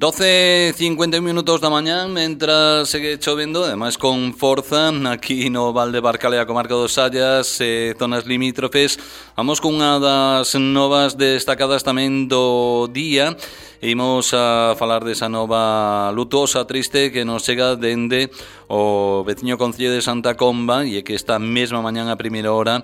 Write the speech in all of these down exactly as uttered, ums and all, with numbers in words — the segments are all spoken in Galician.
doce e cincuenta minutos da mañán, mentras segue chovendo, ademais con forza, aquí no Val de Barcalea, comarca dos Sallas, e zonas limítrofes. Vamos cunha das novas destacadas tamén do día. Imos a falar desa nova lutosa, triste, que nos chega dende o veciño concello de Santa Comba, e é que esta mesma mañán a primeira hora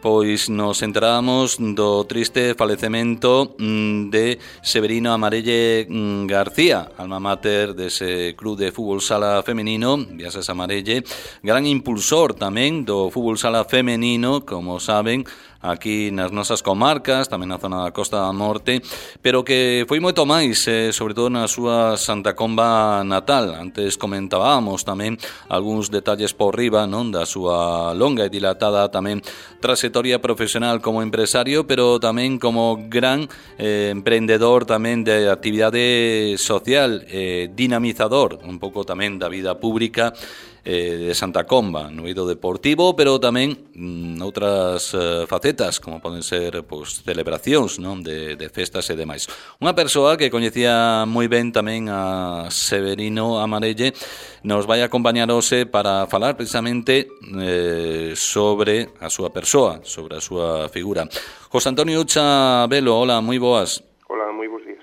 pois nos enteramos do triste falecemento de Severino Amarelle García, alma mater dese club de fútbol sala femenino, Viases Amarelle, gran impulsor tamén do fútbol sala femenino, como saben, aquí nas nosas comarcas, tamén na zona da Costa da Morte, pero que foi moito máis, eh, sobre todo na súa Santa Comba natal. Antes comentábamos tamén algúns detalles por riba, non, da súa longa e dilatada tamén trayectoria profesional como empresario, pero tamén como gran eh, emprendedor tamén de actividade social, eh, dinamizador un pouco tamén da vida pública eh, de Santa Comba, no eido deportivo, pero tamén mm, outras eh, facetas, como poden ser pois, celebracións, non, de, de festas e demais. Unha persoa que coñecía moi ben tamén a Severino Amarelle nos vai acompañar hoxe para falar precisamente eh, sobre a súa persoa, sobre a súa figura. José Antonio Ucha Velo, hola, moi boas. Hola, moi bons días.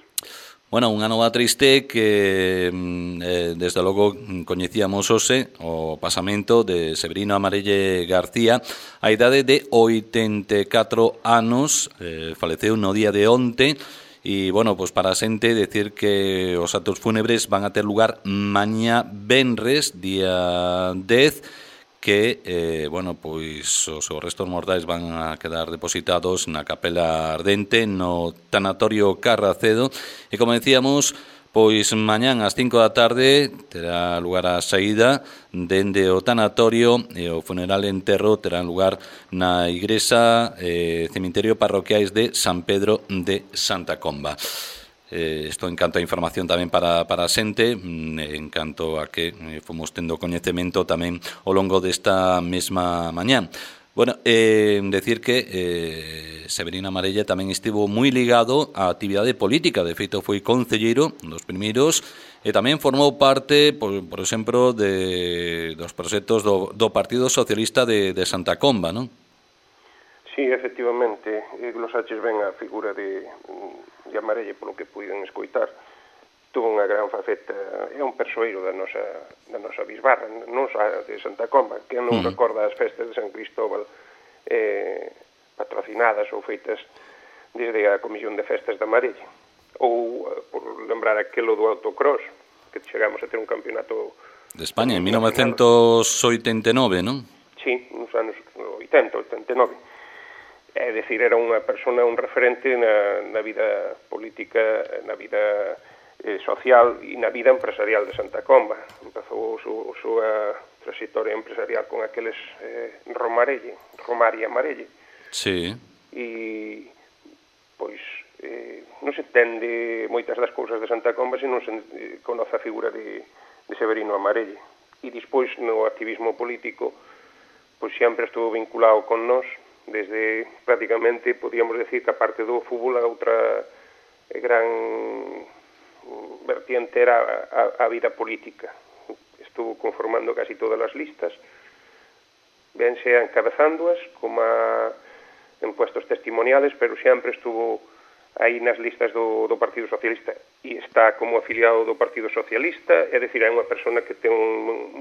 Bueno, unha nova triste que eh, desde logo coñecíamos hoxe o pasamento de Severino Amarelle García a idade de oitenta e catro anos, eh, faleceu no día de onte. E, bueno, pois para a xente decir que os actos fúnebres van a ter lugar mañá venres, día dez, que, eh, bueno, pois os, os restos mortais van a quedar depositados na Capela Ardente, no tanatorio Carracedo, e como decíamos, pois mañán ás cinco da tarde terá lugar a saída dende o tanatorio e o funeral e enterro terá lugar na igrexa eh, cemiterio parroquiais de San Pedro de Santa Comba. Eh, isto en canto a información tamén para, para a xente, en canto a que eh, fomos tendo coñecemento tamén ao longo desta mesma mañán. Bueno, eh, decir que eh, Severino Amarelle tamén estivo moi ligado á actividade política, de feito foi concelleiro dos primeiros e tamén formou parte, por, por exemplo, de, dos proxectos do, do Partido Socialista de, de Santa Comba, non? Sí, efectivamente, glosaches ben a figura de, de Amarelle polo que puiden escoitar. Tuvo unha gran faceta, é un persoeiro da nosa, da nosa bisbarra, non só de Santa Comba, que non mm. recorda as festas de San Cristóbal eh, patrocinadas ou feitas desde a Comisión de Festas de Amarelle. Ou, por lembrar aquelo do autocross, que chegamos a ter un campeonato de España en mil novecentos oitenta e nove, non? Sí, nos anos oitenta, oitenta e nove. É dicir, era unha persona, un referente na, na vida política, na vida eh, social e na vida empresarial de Santa Comba. Empezou a súa trayectoria empresarial con aqueles eh, Romarelle, Romari Amarelle. Sí. E, pois, eh, non se entende moitas das cousas de Santa Comba se non se eh, conoce a figura de, de Severino Amarelle. E despois, no activismo político, pois sempre estuvo vinculado con nós, desde prácticamente, podíamos decir que a parte do fútbol a outra gran vertiente era a, a vida política. Estuvo conformando casi todas as listas, ben sea encabezándoas como a, en puestos testimoniales, pero sempre estuvo aí nas listas do, do Partido Socialista e está como afiliado do Partido Socialista, é dicir, é unha persona que ten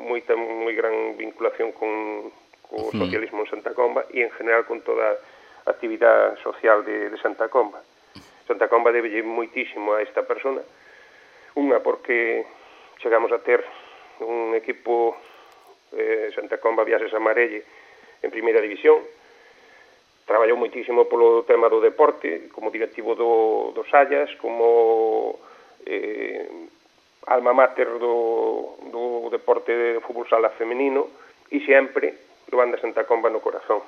moita moi gran vinculación con o socialismo en Santa Comba e en general con toda a actividade social de, de Santa Comba. Santa Comba debelle moitísimo a esta persona, unha porque chegamos a ter un equipo eh, Santa Comba Viases Amarelle en primeira división, traballou moitísimo polo tema do deporte, como directivo do, do Sallas, como eh, alma mater do, do deporte de fútbol sala femenino e sempre levando a Santa Comba no corazón.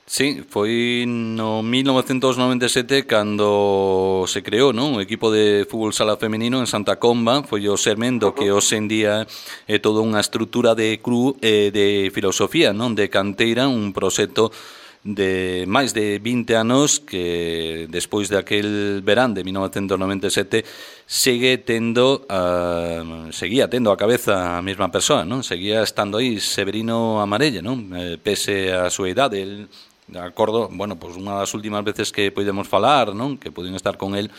Sí, foi no mil novecentos noventa e sete cando se creou, non, o equipo de fútbol sala femenino en Santa Comba. Foi o sermen do que hoxe en día é toda unha estrutura de club eh, de filosofía, non, de canteira, un proxecto de máis de vinte anos que despois de aquel verán de mil novecentos noventa e sete segue tendo uh, seguía tendo a cabeza a mesma persoa, non? Seguía estando aí Severino Amarelle, non? Eh, pese a súa idade, el, de acordo, bueno, pois unha das últimas veces que podemos falar, non? Que pudimos estar con el,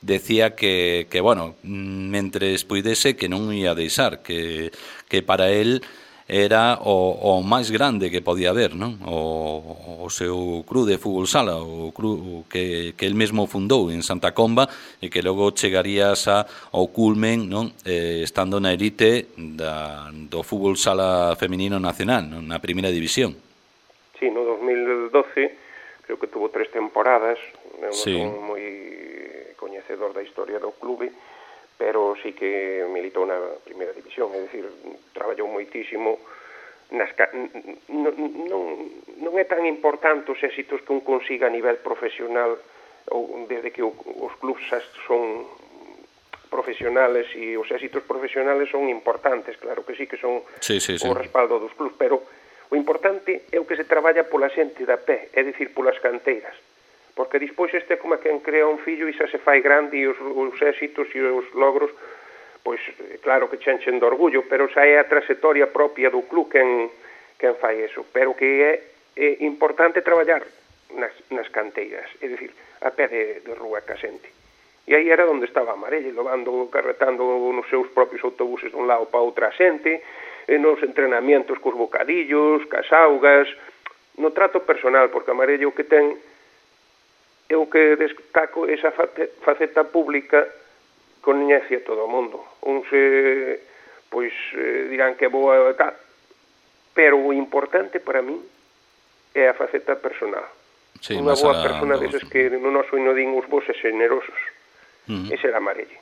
decía que, que bueno, mentres puidese que non ia deixar, que, que para el era o, o máis grande que podía haber, non? O, o seu club de fútbol sala, o club que, que el mesmo fundou en Santa Comba e que logo chegarías a, ao culmen, non? Eh, estando na elite da, do fútbol sala feminino nacional, non? Na primeira división. Sí, no dos mil doce creo que tuvo tres temporadas, non sí. son moi coñecedor da historia do clube, pero sí que militou na primeira división, é dicir, traballou moitísimo nas ca... non, non, non é tan importante os éxitos que un consiga a nivel profesional ou desde que os clubs son profesionales e os éxitos profesionales son importantes, claro que sí que son sí, sí, sí. o respaldo dos clubs, pero o importante é o que se traballa pola xente da pé, é dicir, polas canteiras. Porque despois este é como quen crea un fillo e xa se fai grande e os, os éxitos e os logros, pois claro que chenchen de orgullo, pero xa é a trayectoria propia do club quen, quen fai eso. Pero que é, é importante traballar nas, nas canteiras, é dicir, a pé de, de rúa ca xente. E aí era onde estaba Amarelle, levando, carretando nos seus propios autobuses dun lado para outra xente, e nos entrenamientos cos bocadillos, cas augas, no trato personal, porque Amarelle o que ten é o que destaco esa faceta pública coñece a todo o mundo. Uns eh, pois eh, dirán que é boa tal, pero o importante para min é a faceta personal. Sí, unha boa persona deses que no noso hino din os bos e generosos. Uh -huh. Ese era Amarelle.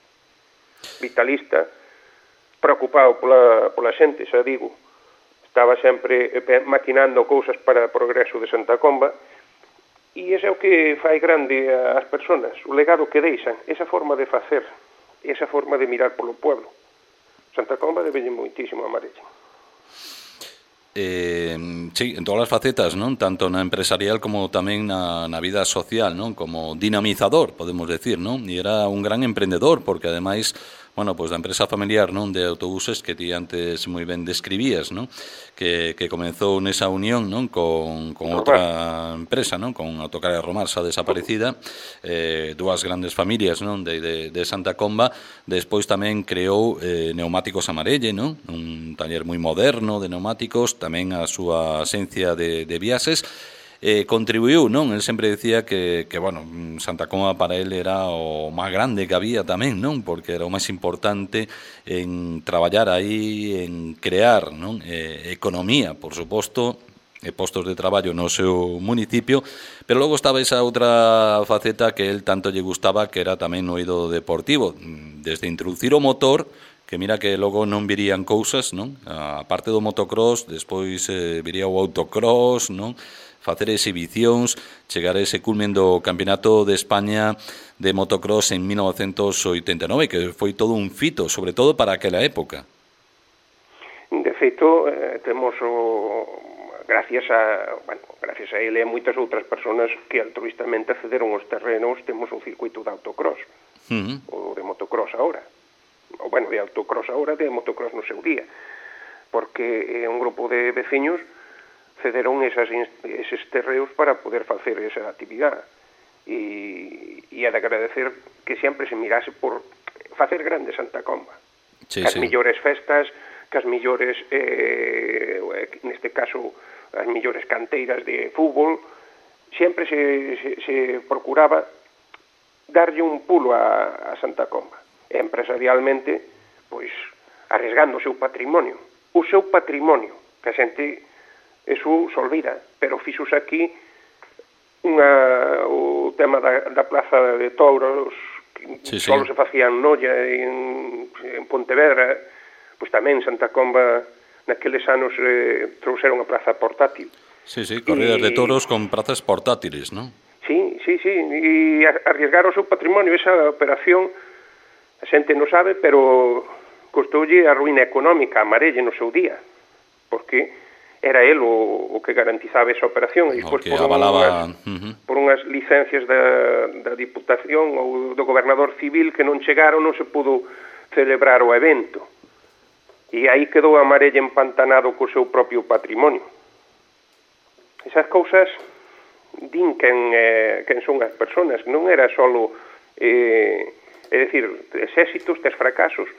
Vitalista, preocupado pola, pola xente, xa digo, estaba sempre maquinando cousas para o progreso de Santa Comba. E ese é o que fai grande as persoas, o legado que deixan, esa forma de facer, esa forma de mirar polo pueblo. Santa Comba debelle moitísimo a Amarelle. Eh, sí, en todas as facetas, non? Tanto na empresarial como tamén na, na vida social, non? Como dinamizador, podemos decir, non? E era un gran emprendedor, porque ademais, bueno, pois pues, da empresa familiar, non? De autobuses que ti antes moi ben describías, non? Que, que comenzou nesa unión, non? Con, con outra empresa, non? Con Autocargas Romar, xa desaparecida, eh, dúas grandes familias, non? De, de, de Santa Comba. Despois tamén creou eh, Neumáticos Amarelle, non? Un taller moi moderno de neumáticos, tamén a súa esencia de, de viaxes. Eh, contribuiu, non? El sempre decía que, que, bueno, Santa Comba para él era o máis grande que había tamén, non? Porque era o máis importante en traballar aí, en crear, non? Eh, economía, por suposto, e postos de traballo no seu municipio, pero logo estaba esa outra faceta que el tanto lle gustaba, que era tamén no eido deportivo, desde introducir o motor, que mira que logo non virían cousas, non? A parte do motocross, despois eh, viría o autocross, non? Facer exhibicións, chegar a ese culmen do Campeonato de España de motocross en mil novecentos oitenta e nove, que foi todo un fito, sobre todo para aquela época. De feito, eh, temos o... gracias a, bueno, gracias a ele e a moitas outras persoas que altruistamente accederon aos terrenos, temos un circuito de autocross, uh -huh. ou de motocross agora. O, bueno, de autocross agora, de motocross no seu día, porque é un grupo de veciños cederon esas, eses terreos para poder facer esa actividade. E, e é de agradecer que sempre se mirase por facer grande Santa Comba. Sí, as sí. millores festas, que as millores, eh, neste caso, as millores canteiras de fútbol, sempre se, se, se procuraba darlle un pulo a, a Santa Comba. E empresarialmente, pois, arriesgando o seu patrimonio. O seu patrimonio, que a xente eso se olvida, pero fixos aquí unha, o tema da, da plaza de touros, que sí, só sí. se facía en Noia, en, en Pontevedra, pois tamén Santa Comba naqueles anos eh, trouxeron a praza portátil. Sí, sí, corridas e, de touros con prazas portátiles, non? Sí, sí, sí, e arriesgar o seu patrimonio, esa operación, a xente non sabe, pero costoulle a ruína económica a Amarelle no seu día, porque era el o, o que garantizaba esa operación, e despois por, avalaba... unhas, uh-huh. por unhas licencias da, da Diputación ou do Gobernador Civil que non chegaron, non se pudo celebrar o evento. E aí quedou a Marelle empantanado co seu propio patrimonio. Esas cousas din quen, eh, quen son as persoas, non era solo, eh, é dicir, tes éxitos, tes fracasos,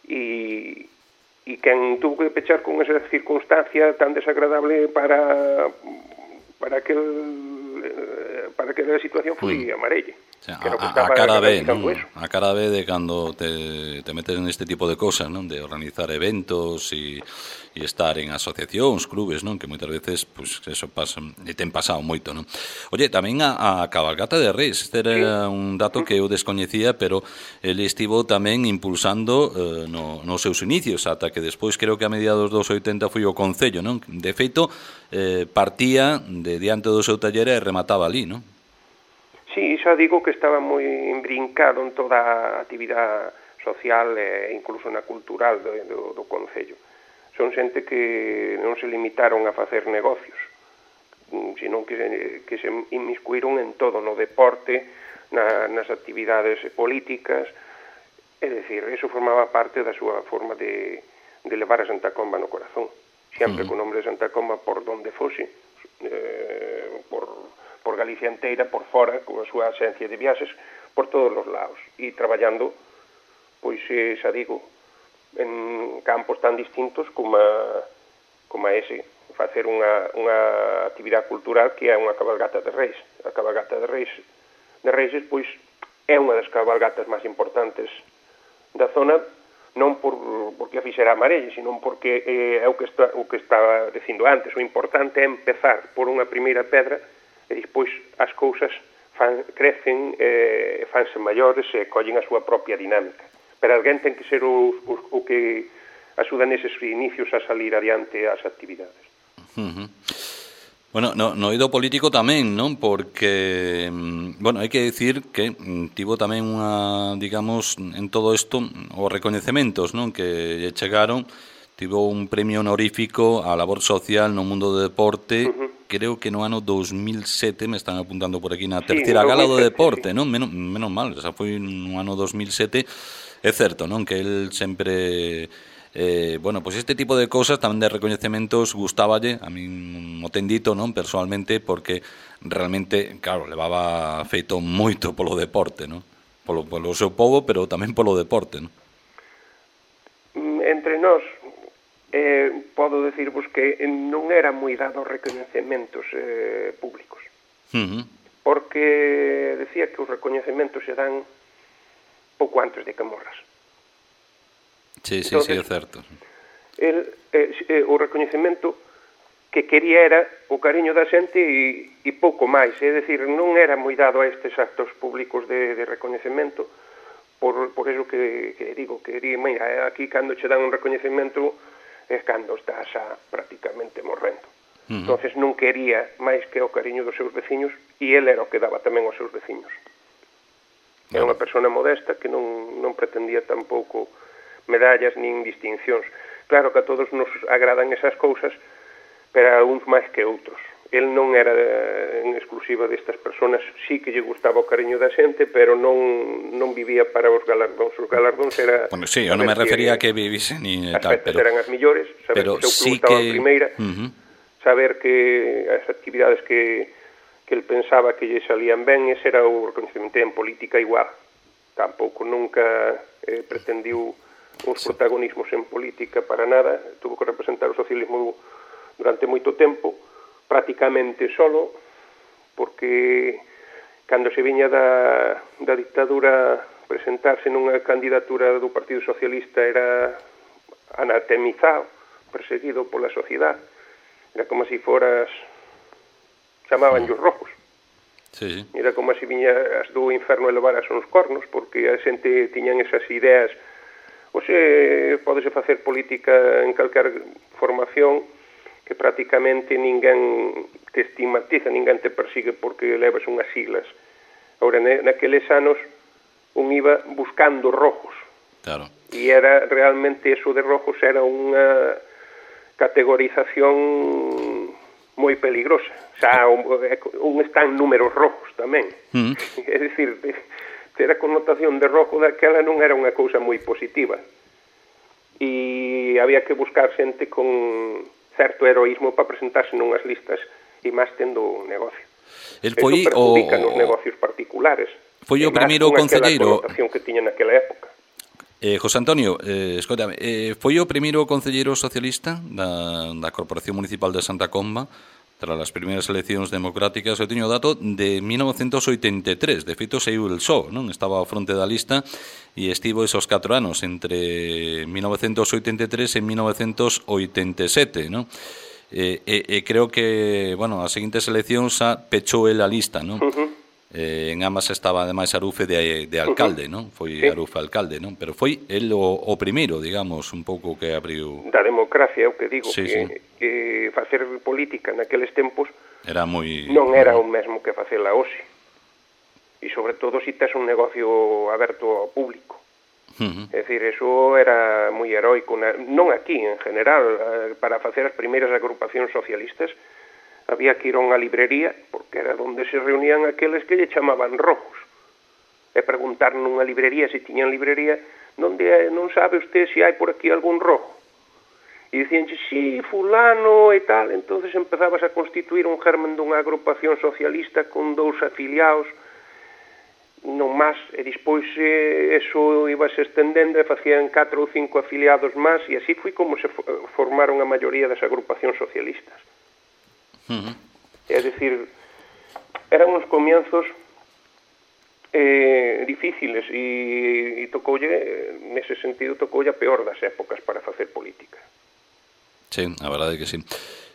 e... e quen tuvo que pechar con esa circunstancia tan desagradable para para aquel para aquela situación foi mm. a Marelle. O sea, a, a cara B, ¿no? A cara B de cando te, te metes en este tipo de cosas, ¿no? De organizar eventos e, e estar en asociacións, clubes, ¿no? Que moitas veces, pues, eso pasa, e ten pasado moito, ¿no? Oye, tamén a, a cabalgata de Reis, este era sí. un dato que eu descoñecía, pero ele estivo tamén impulsando eh, no, nos seus inicios, ata que despois creo que a mediados dos oitenta foi o Concello, ¿no? De feito, eh, partía de diante do seu taller e remataba ali, ¿no? Sí, xa digo que estaba moi imbrincado en toda a actividade social e incluso na cultural do, do, do Concello. Son xente que non se limitaron a facer negocios, sino que, que se inmiscuíron en todo, no deporte, na, nas actividades políticas, é dicir, eso formaba parte da súa forma de, de levar a Santa Comba no corazón, sempre uh-huh. co nome de Santa Comba por donde fose, eh, por... por Galicia inteira, por fora, con a súa axencia de viaxes, por todos os lados, e traballando, pois, xa digo, en campos tan distintos como a, como a ese, facer unha, unha actividade cultural que é unha cabalgata de Reis. A cabalgata de Reis, de Reis, pois, é unha das cabalgatas máis importantes da zona, non por, porque a fixera a Marelle, sino porque eh, é o que, está, o que estaba dicindo antes, o importante é empezar por unha primeira pedra e despois as cousas fan, crecen, eh, fanse maiores e collen a súa propia dinámica. Pero alguén ten que ser o, o, o que axuda neses inicios a salir adiante as actividades. Uh-huh. Bueno, no, no eido político tamén, non? Porque, bueno, hai que dicir que tivo tamén unha, digamos, en todo isto, os recoñecementos, non? Que lle chegaron, tivo un premio honorífico á labor social no mundo do deporte, uh-huh. Creo que no ano dos mil sete, me están apuntando por aquí, na terceira sí, gala do deporte, sí. Non? Menos, menos mal, esa foi no ano dos mil sete, é certo, non? Que el sempre... Eh, bueno, pois pues este tipo de cosas tamén de recoñecementos gustáballe, a mí mo ten dito, non? Personalmente, porque realmente, claro, levaba feito moito polo deporte, non? Polo, polo seu povo, pero tamén polo deporte, non? Entre nós, eh, podo decirvos que non era moi dado recoñecementos eh, públicos. Uh-huh. Porque decía que os recoñecementos se dan pouco antes de que morras. Sí, sí, entonces, sí, é certo. El, eh, eh, o recoñecemento que quería era o cariño da xente e, e pouco máis, é dicir, non era moi dado a estes actos públicos de, de recoñecemento, por, por eso que, que digo, que mira, aquí cando che dan un recoñecemento é cando estás a prácticamente morrendo. Uh-huh. Entonces non quería máis que o cariño dos seus veciños e ele era o que daba tamén aos seus veciños. Era unha persona modesta que non, non pretendía tampouco medallas nin distincións. Claro que a todos nos agradan esas cousas, pero a uns máis que outros. El non era en exclusiva destas personas, sí que lle gustaba o cariño da xente, pero non non vivía para os galardóns. Os galardóns era... Bueno, sí, eu non me refería a que vivise ni as tal, festas pero... eran as millores, saber pero que o seu sí club estaba que... en primeira, uh-huh. Saber que as actividades que, que el pensaba que lle salían ben, ese era o reconhecimento. En política igual. Tampouco nunca eh, pretendiu os sí. protagonismos en política para nada. Tuvo que representar o socialismo durante moito tempo, prácticamente solo, porque cando se viña da, da dictadura presentarse nunha candidatura do Partido Socialista era anatemizado, perseguido pola sociedade. Era como se foras, chamaban os rojos. Sí, sí. Era como se viña as do inferno elevaras uns cornos, porque a xente tiñan esas ideas. Oxe, podese facer política en calquer formación, que prácticamente ninguén te estigmatiza, ninguén te persigue porque levas unhas siglas. Agora, naqueles anos, un iba buscando rojos. Claro. E era realmente eso de rojos, era unha categorización moi peligrosa. Xa un está en números rojos tamén. Mm. É dicir, ter a connotación de rojo daquela non era unha cousa moi positiva. E había que buscar xente con certo heroísmo para presentarse nunhas listas e máis tendo un negocio. El foi Eso perjudica o... nos negocios particulares. Foi o primeiro concelleiro... A connotación que tiña naquela época. Eh, José Antonio, eh, escótame, eh, foi o primeiro concelleiro socialista da, da Corporación Municipal de Santa Comba tras as primeiras eleccións democráticas. Eu teño o dato de mil novecentos oitenta e tres, de feito saiu el só, non? Estaba ao fronte da lista e estivo esos catro anos entre mil novecentos oitenta e tres e mil novecentos oitenta e sete, non? E, e, e creo que, bueno, as seguintes eleccións xa pechou el a lista, non? Uh-huh. Eh, en ambas estaba ademais Arufe de, de alcalde, non? Foi sí. Arufe alcalde, non? Pero foi el o, o primeiro, digamos, un pouco que abriu... Da democracia, é o que digo, sí, que, sí. que facer política naqueles tempos era moi... non era o mesmo que facela hoxe. E sobre todo se tes un negocio aberto ao público. Uh-huh. É dicir, eso era moi heroico, non aquí, en general, para facer as primeiras agrupacións socialistas había que ir a unha librería, porque era onde se reunían aqueles que lle chamaban rojos. E preguntar nunha librería, se tiñan librería, onde non sabe usted se hai por aquí algún rojo. E dicíanche, sí, fulano e tal. Entonces empezabas a constituir un germen dunha agrupación socialista con dous afiliados, non máis, e despois eh, eso iba se estendendo e facían catro ou cinco afiliados máis, e así foi como se formaron a maioría das agrupacións socialistas. Uh-huh. É dicir, eran uns comienzos eh, difíciles e, e tocoulle, nese sentido, tocoulle a peor das épocas para facer política. Sí, a verdade é que sí.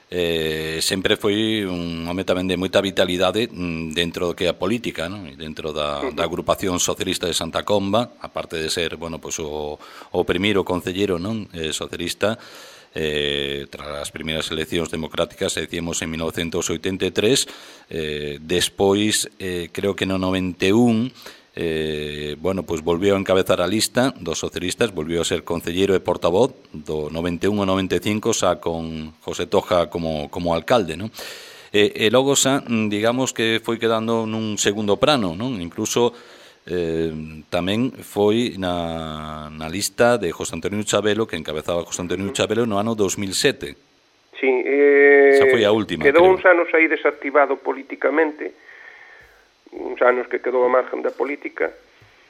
Eh, sempre foi un home tamén de moita vitalidade dentro do que é a política, non? E dentro da, uh-huh. da agrupación socialista de Santa Comba, aparte de ser, bueno, pues o, o primeiro concelleiro, non? Eh, socialista. Eh, tras as primeiras eleccións democráticas, decíamos en mil novecentos oitenta e tres, eh, despois eh, creo que no noventa e un eh, bueno, pues volveu a encabezar a lista dos socialistas, volveu a ser concelleiro e portavoz do noventa e un ao noventa e cinco, xa con José Toja como, como alcalde, non? E, e logo xa, digamos que foi quedando nun segundo plano, non? Incluso Eh, tamén foi na, na lista de José Antonio Chabelo, que encabezaba José Antonio Chabelo no ano dos mil sete. Sí, eh, esa foi a última, quedou creo. uns anos aí desactivado políticamente, uns anos que quedou a margen da política,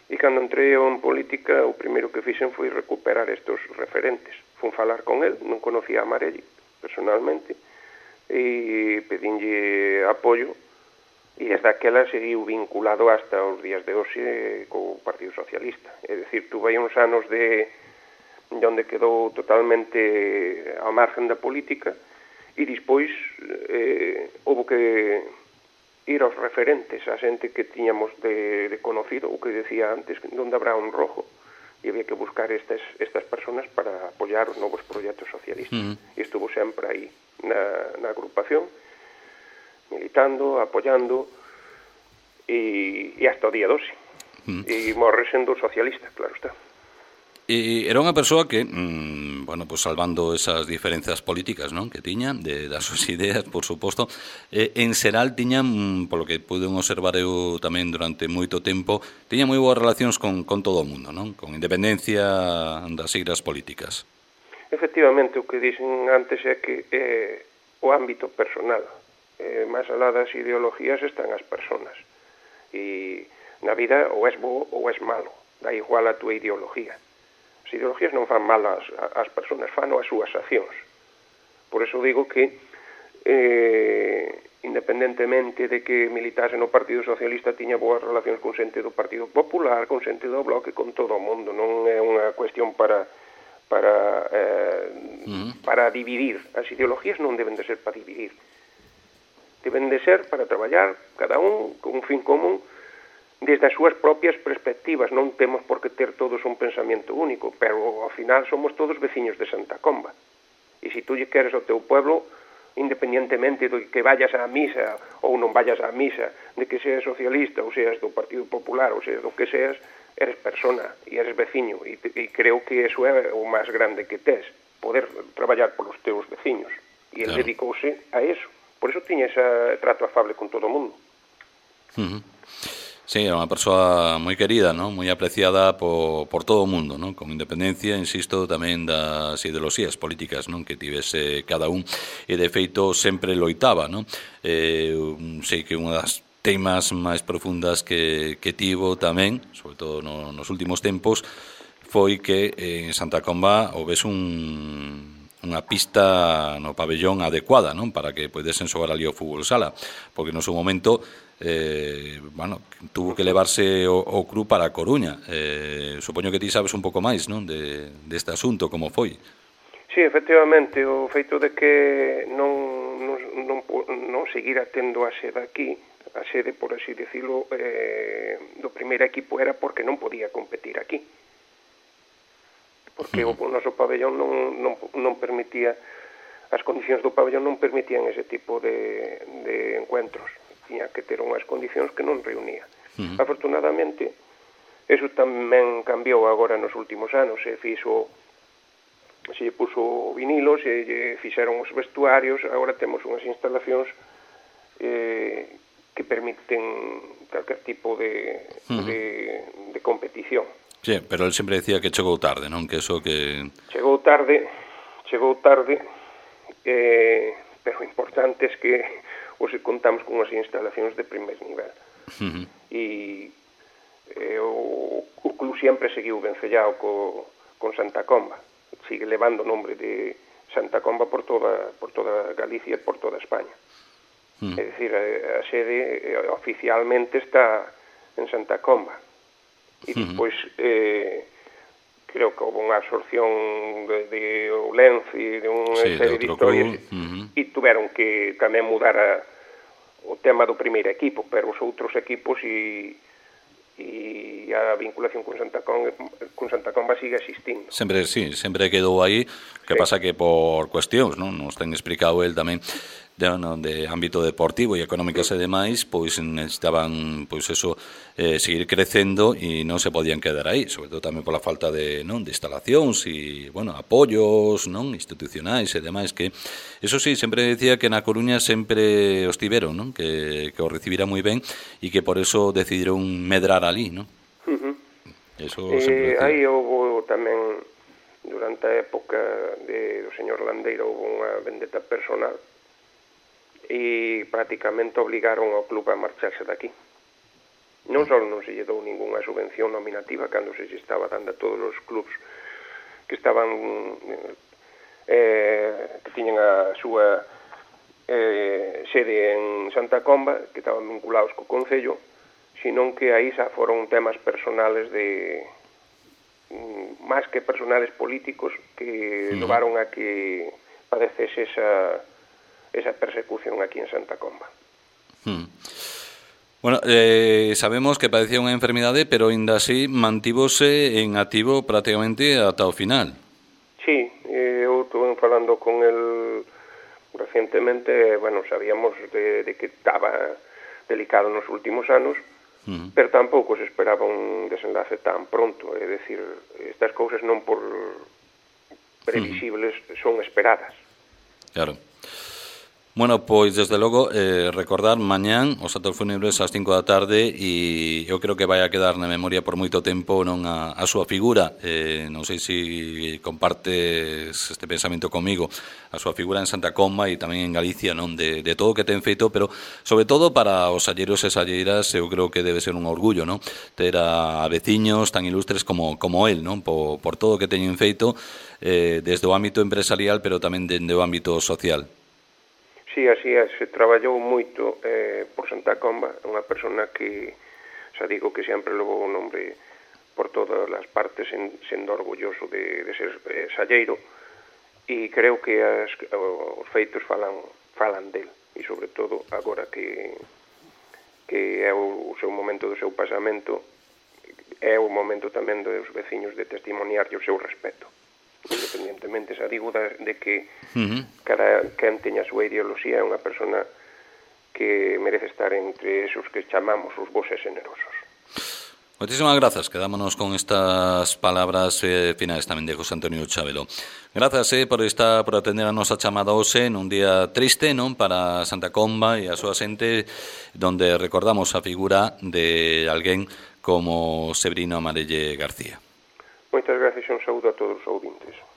e cando entrei en política o primeiro que fixen foi recuperar estes referentes. Fun falar con el, non conocía a Marelli personalmente, e pedinlle apoio. E desde aquela seguiu vinculado hasta os días de hoxe co Partido Socialista. É dicir, tuve uns anos de, de onde quedou totalmente ao margen da política e despois eh, houve que ir aos referentes, a xente que tiñamos de, de conocido, o que decía antes, onde habrá un rojo, e había que buscar estas, estas personas para apoiar os novos proxectos socialistas. Uh-huh. E estuvo sempre aí na, na agrupación, militando, apoyando e, e hasta o día doce. Mm. E morre sendo socialista, claro está. E era unha persoa que, mmm, bueno, pues salvando esas diferencias políticas, non, que tiña, de das súas ideas, por suposto, eh, en xeral tiña, mmm, polo que pude observar eu tamén durante moito tempo, tiña moi boas relacións con, con todo o mundo, non? Con independencia das siglas políticas. Efectivamente, o que dixen antes é que é o ámbito personal. Eh, máis alá das ideologías están as persoas, e na vida ou és bo ou és malo, dá igual a túa ideología. As ideologías non fan mal as, as persoas, fan as súas accións. Por eso digo que eh, independentemente de que militase no Partido Socialista, tiña boas relacións con xente do Partido Popular, con xente do Bloque, con todo o mundo. Non é unha cuestión para para eh, mm. para dividir. As ideologías non deben de ser para dividir. Deben de ser para traballar cada un con un fin común desde as súas propias perspectivas. Non temos por que ter todos un pensamento único, pero ao final somos todos veciños de Santa Comba. E se tú lle queres ao teu pueblo, independientemente de que vayas á misa ou non vayas á misa, de que seas socialista ou seas do Partido Popular ou seas do que seas, eres persona e eres veciño, e, e creo que eso é o máis grande que tes. poder traballar polos teus veciños. E ele claro. dedicouse a eso. Por eso tiña ese trato afable con todo o mundo. Uh-huh. Sí, era unha persoa moi querida, ¿no? Moi apreciada por, por todo o mundo, ¿no? Con independencia, insisto, tamén das ideoloxías políticas, ¿no? Que tivese cada un, e de feito sempre loitaba, ¿no? Eh, sei que unha das temas máis profundas que, que tivo tamén, sobre todo no, nos últimos tempos, foi que en Santa Comba houvese un, unha pista no pabellón adecuada, non? Para que podesen xogar ali o fútbol sala, porque no seu momento eh, bueno, tuvo que levarse o, o club para a Coruña. Eh, supoño que ti sabes un pouco máis, non? De, deste asunto, como foi. Sí, efectivamente, o feito de que non, non, non, non seguira tendo a sede aquí, a sede, por así decirlo, eh, do primeiro equipo era porque non podía competir aquí. Porque uh-huh. o noso pabellón non, non, non permitía, as condicións do pabellón non permitían ese tipo de, de encuentros. Tiña que ter unhas condicións que non reunía. Uh-huh. Afortunadamente, eso tamén cambiou agora nos últimos anos. Se fixo, se puso vinilo, se fixeron os vestuarios, agora temos unhas instalacións eh, que permiten calquer tipo de, uh-huh. de, de competición. Sí, pero él sempre decía que chegou tarde, non? Que eso que... Chegou tarde, chegou tarde, eh, pero o importante é que hoxe contamos con unhas instalacións de primeiro nivel. Uh-huh. E eh, o, o club sempre seguiu vencellado co, con Santa Comba. Sigue levando o nombre de Santa Comba por toda, por toda Galicia e por toda España. Uh-huh. É dicir, a, a sede eh, oficialmente está en Santa Comba. E despois eh, creo que houve unha absorción de, de Oulense e de unha sí, serie de, de historias uh-huh. e tuveron que tamén mudar a, o tema do primeiro equipo, pero os outros equipos e, e a vinculación con Santa Comba, con Santa Comba sigue existindo. Sempre, sí, sempre quedou aí, que sí. Pasa que por cuestións, non? Nos ten explicado el tamén de, no, de ámbito deportivo e económicas e demais, pois necesitaban pois eso eh, seguir crecendo e non se podían quedar aí, sobre todo tamén pola falta de, non, de instalacións e, bueno, apoios, non, institucionais e demais, que eso sí, sempre decía que na Coruña sempre os tiveron, non? Que, que os recibira moi ben e que por eso decidiron medrar ali, non? Uh-huh. Eso eh, aí houve tamén durante a época de, do señor Landeira houve unha vendetta personal e prácticamente obligaron ao club a marcharse daqui. Non só non se lle dou ningunha subvención nominativa cando se lle estaba dando a todos os clubs que estaban eh, que tiñan a súa eh, sede en Santa Comba, que estaban vinculados co Concello, senón que aí xa foron temas personales de máis que personales políticos que uh-huh. levaron a que padecese esa esa persecución aquí en Santa Comba. Hmm. Bueno, eh, sabemos que padecía unha enfermidade, pero ainda así mantívose en activo prácticamente ata o final. Sí, eh, eu estuve falando con el recientemente, bueno, sabíamos de, de que estaba delicado nos últimos anos, uh-huh. pero tampouco se esperaba un desenlace tan pronto, é dicir, estas cousas non por previsibles uh-huh. son esperadas. Claro. Bueno, pois, desde logo, eh, recordar mañán os actos fúnebres ás cinco da tarde e eu creo que vai a quedar na memoria por moito tempo non a, a súa figura. Eh, non sei se compartes este pensamento comigo, a súa figura en Santa Comba e tamén en Galicia, non, de, de todo o que ten feito, pero sobre todo para os salleiros e salleiras eu creo que debe ser un orgullo, non? Ter a veciños tan ilustres como, como el, non? Por, por todo o que teñen feito eh, desde o ámbito empresarial, pero tamén desde o ámbito social. Sí, así é, se traballou moito eh, por Santa Comba, unha persona que, xa digo, que sempre levou o nombre por todas as partes, en, sendo orgulloso de, de ser eh, salleiro, e creo que as, os feitos falan, falan del, e sobre todo agora que, que é o, o seu momento do seu pasamento, é o momento tamén dos veciños de testimoniarlle o seu respeto. Independientemente, xa digo, de que uh-huh. cada quen teña a súa ideoloxía, é unha persona que merece estar entre esos que chamamos os bos e generosos. Moitísimas grazas, quedámonos con estas palabras eh, finais tamén de José Antonio Chabelo. Grazas eh, por estar, por atender a nosa chamada hoxe nun día triste, non, para Santa Comba e a súa xente, donde recordamos a figura de alguén como Severino Amarelle García. Moitas gracias e un saúdo a todos os ouvintes.